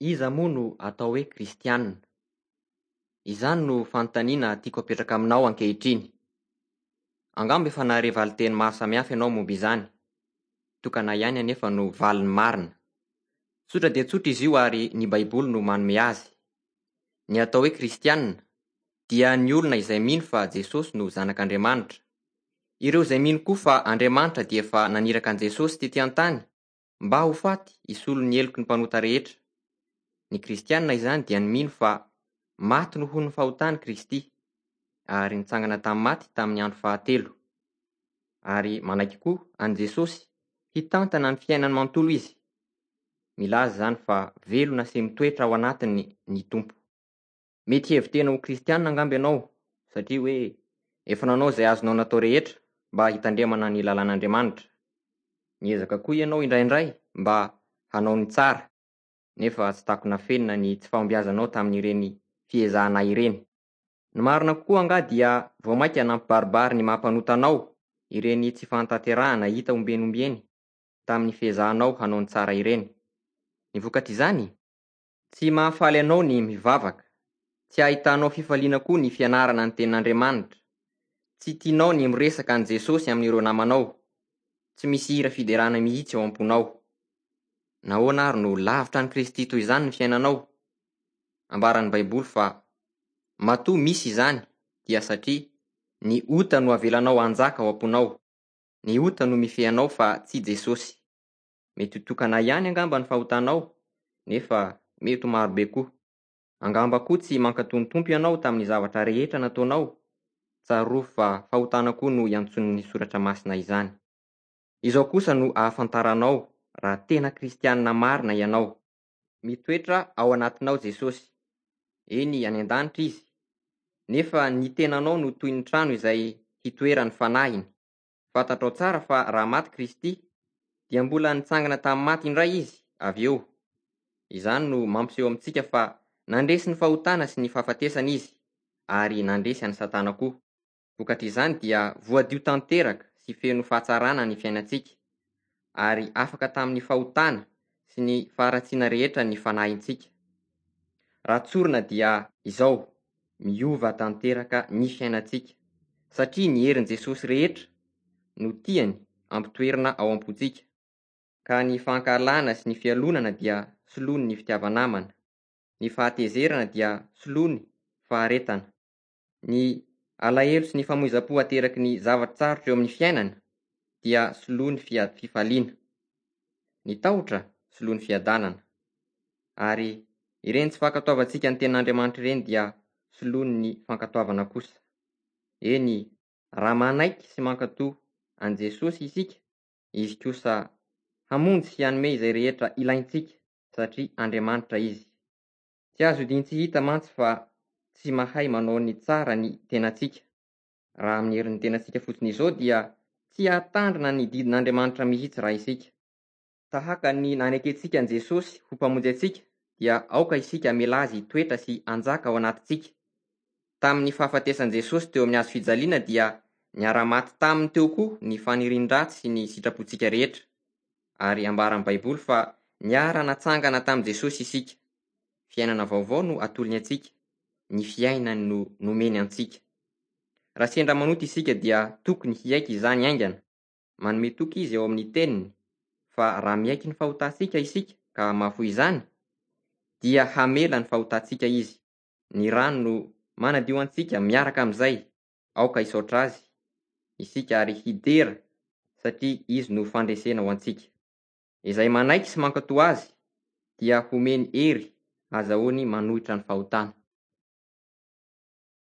Iza moa no atao hoe kristiana? Izany no fanontaniana tiako apetraka aminao ankehitriny. Angamba efa nahare valin-teny maro samihafa ianao momba izany. Tokana ihany anefa no valiny marina. Tsotra dia tsotra izy io ary ny Baiboly no manome azy. Ny atao hoe kristiana dia ny olona izay mino fa Jesosy no Zanak'Andriamanitra. Ireo izay mino koa fa Andriamanitra dia efa naniraka an'i Jesosy tety an-tany mba ho faty hisolo ny heloky ny mpanota rehetra. Ny kristiana izany dia ny mino fa maty noho ny fahotany Kristy ary nitsangana tamin'ny maty tamin'ny andro fahatelo. Ary manaiky koa an'i Jesosy hitantana ny fiainany manontolo izy. Milaza izany fa velona sy mitoetra ao anatiny ny Tompo. Mety hihevi-tena ho kristiana angamba ianao satria hoe efa nanao izay azonao natao rehetra mba hitandremana ny lalàn'Andriamanitra. Miezaka koa ianao indraindray mba hanao ny tsara, nefa tsy takona afenina ny tsy fahombiazanao tamin'ireny fiezahana ireny. Ny marina kokoa angaha dia vao mainka nampibaribary ny maha mpanota anao ireny tsy fahatanterahana hita ombieny ombieny tamin'ny fiezahanao hanao ny tsara ireny. Ny vokatr'izany? Tsy mahafaly anao ny mivavaka. Tsy ahitanao fifaliana koa ny fianarana ny tenin'Andriamanitra. Tsy tianao ny miresaka an'i Jesosy amin'ireo namanao. Tsy misy hira fiderana mihitsy ao am-ponao. Nahoana ary no lavitra an'i Kristy toy izany ny fiainanao? Ambaran'ny Baiboly fa matoa misy izany dia satria ny ota no avelanao hanjaka ao am-ponao. Ny ota no mifehy anao fa tsy Jesosy. Mety ho tokana ihany angamba ny fahotanao, nefa mety ho marobe koa. Angamba koa tsy mankatò ny Tompo ianao tamin'ny zavatra rehetra nataonao. Tsarovy fa fahotana koa no iantsoan'ny Soratra Masina izany. Izao kosa no ahafantaranao raha tena kristiana marina ianao. Mitoetra ao anatinao Jesosy. Eny, any an-danitra Izy. Nefa ny tenanao no toy ny trano izay hitoeran'ny fanahiny. Fantatrao tsara fa raha maty Kristy, dia mbola nitsangana tamin'ny maty indray Izy avy eo. Izany no mampiseho amintsika fa nandresy ny fahotana sy ny fahafatesana Izy, ary nandresy an'i Satana koa. Vokatr'izany dia voadio tanteraka sy feno fahatsarana ny fiainantsika, ary afaka tamin'ny fahotana sy ny faharatsiana rehetra ny fanahintsika. Raha tsorina dia izao, miova tanteraka ny fiainantsika, satria ny herin'i Jesosy rehetra no tiany ampitoerina ao am-pontsika, ka ny fankahalana sy ny fialonana dia soloiny ny fitiava-namana, ny fahatezerana dia soloiny faharetana, ny alahelo sy ny famoizam-po ateraky ny zava-tsarotra eo amin'ny fiainana dia soloiny fifaliana, ny tahotra soloiny fiadanana, ary ireny tsy fankatoavantsika ny tenin'Andriamanitra ireny dia soloiny ny fankatoavana kosa. Eny, raha manaiky sy mankatò an'i Jesosy isika, Izy kosa hamonjy sy hanome izay rehetra ilaintsika satria Andriamanitra Izy. Tsy azo odian-tsy hita mantsy fa tsy mahay manao ny tsara ny tenantsika. Raha amin'ny herin'ny tenantsika fotsiny izao dia tsy hahatandrina ny didin'Andriamanitra mihitsy raha isika. Tahaka ny nanekentsika an'i Jesosy ho Mpamonjy antsika dia aoka isika hamela Azy hitoetra sy hanjaka ao anatintsika. Tamin'ny fahafatesan'i Jesosy teo amin'ny hazo fijaliana dia niara-maty taminy teo koa ny fanirian-dratsy sy ny sitrapontsika rehetra. Ary ambaran'ny Baiboly fa niara-natsangana tamin'i Jesosy isika. Fiainana vaovao no atolony antsika, ny fiainany no nomeny antsika. Raha sendra manota isika dia tokony hiaiky izany haingana. Manome toky Izy ao amin'ny Teniny fa raha miaiky ny fahotantsika isika ka mahafoy izany, dia hamela ny fahotantsika Izy. Ny rano no manadio antsika miaraka amin'izay. Aoka hisaotra Azy isika ary hidera satria Izy no fandresena ho antsika. Izay manaiky sy mankatò Azy dia homeny hery azahoany manohitra ny fahotana.